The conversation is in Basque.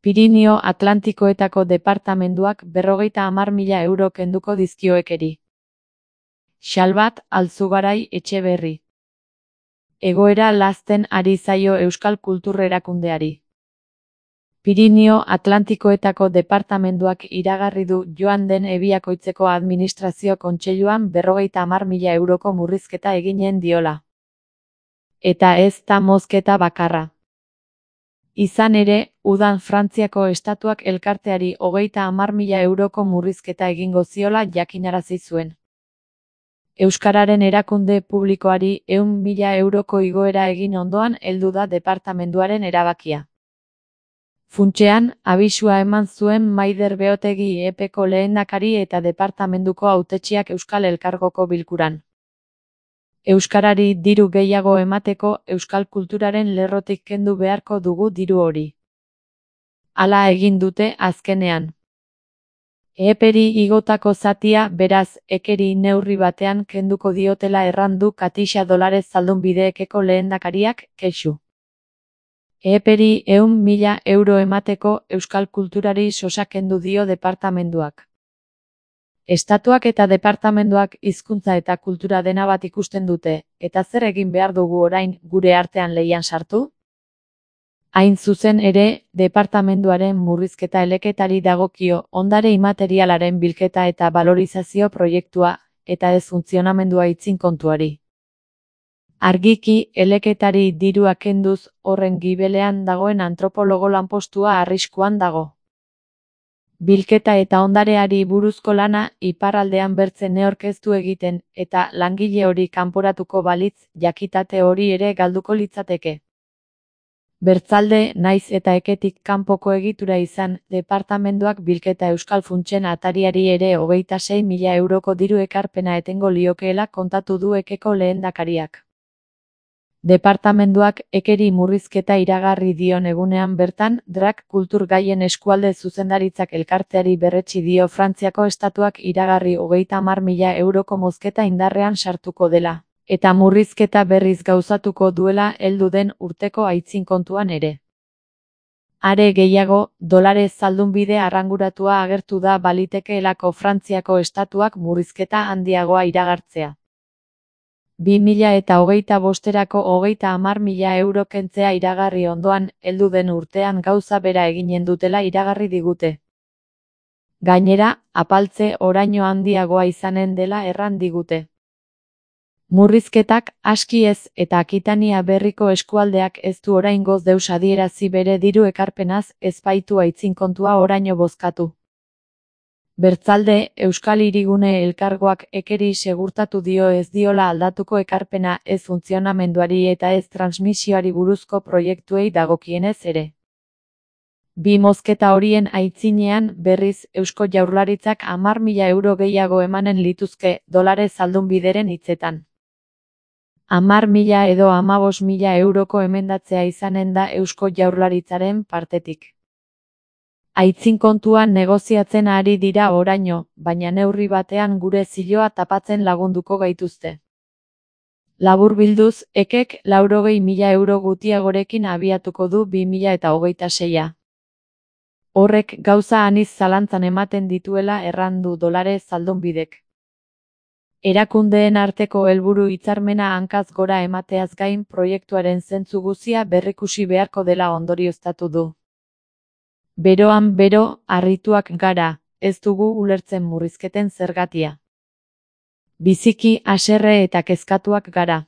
Pirinio Atlantikoetako departamenduak 50.000 euro kenduko dizkio Ekeri. Xalbat Alzugarai Etxeberri. Egoera lazten ari zaio euskal kultur erakundeari. Pirinio Atlantikoetako departamenduak iragarri du joan den Ebiakoitzeko administrazio kontseiluan 50.000 euroko murrizketa eginen diola. Eta ez da mozketa bakarra. Izan ere, udan Frantziako estatuak elkarteari 30.000 euroko murrizketa egingo ziola jakinarazi zuen. Euskararen erakunde publikoari 100.000 euroko igoera egin ondoan heldu da departamenduaren erabakia. Funtsean, abisua eman zuen Maider Beotegi EPeko lehendakari eta departamenduko hautetsiak Euskal Elkargoko bilkuran. Euskarari diru gehiago emateko euskal kulturaren lerrotik kendu beharko dugu diru hori. Hala egin dute azkenean. Eperi igotako zatia, beraz, Ekeri neurri batean kenduko diotela errandu Katixa Dolares Zaldunbide-Ekeko lehendakariak, kexu. Eperi 100.000 euro emateko euskal kulturari sosa kendu dio departamenduak. Estatuak eta departamenduak hizkuntza eta kultura dena bat ikusten dute, eta zer egin behar dugu orain gure artean lehian sartu? Hain zuzen ere, departamenduaren murrizketa eleketari dagokio ondare imaterialaren bilketa eta balorizazio proiektua, eta ez funtzionamendua itzin kontuari. Argiki, eleketari dirua kenduz, horren gibelean dagoen antropologo lanpostua arriskuan dago. Bilketa eta ondareari buruzko lana iparraldean bertze neorkeztu egiten, eta langile hori kanporatuko balitz, jakitate hori ere galduko litzateke. Bertzalde, naiz eta Eketik kanpoko egitura izan, departamenduak bilketa euskal funtsen atariari ere 26.000 euroko diru ekarpena etengo liokeela kontatu du Ekeko lehendakariak. Departamenduak Ekeri murrizketa iragarri dion egunean bertan, Drak kultur gaien eskualde zuzendaritzak elkarteari berretsi dio Frantziako estatuak iragarri 30.000 euroko mozketa indarrean sartuko dela, eta murrizketa berriz gauzatuko duela heldu den urteko aitzin kontuan ere. Are gehiago, Dolares Zaldunbide arranguratua agertu da balitekeelako Frantziako estatuak murrizketa handiagoa iragartzea. 2025erako 30.000 euro kentzea iragarri ondoan, heldu den urtean gauza bera eginen dutela iragarri digute. Gainera, apaltze oraino handiagoa izanen dela erran digute. Murrizketak aski ez eta Akitania berriko eskualdeak ez du oraingoz deus adierazi bere diru ekarpenaz, ez baitu aitzin kontua oraino bozkatu. Bertzalde, Euskal Hirigune Elkargoak Ekeri segurtatu dio ez diola aldatuko ekarpena ez funtzionamenduari eta ez transmisioari buruzko proiektuei dagokienez ere. Bi mozketa horien aitzinean, berriz, Eusko Jaurlaritzak 10.000 euro gehiago emanen lituzke, Dolares Zaldunbideren hitzetan. 10.000 edo 15.000 euroko emendatzea izanen da Eusko Jaurlaritzaren partetik. Aitzin kontuan negoziatzen ari dira oraino, baina neurri batean gure ziloa tapatzen lagunduko gaituzte. Laburbilduz, Ekek 80.000 euro gutiagorekin abiatuko du 2026a. Horrek gauza aniz zalantzan ematen dituela errandu Dolares Zaldunbidek. Erakundeen arteko helburu hitzarmena hankaz gora emateaz gain proiektuaren zentzu guzia berrikusi beharko dela ondorioztatu du. Beroan bero, harrituak gara, ez dugu ulertzen murrizketen zergatia. Biziki haserre eta kezkatuak gara.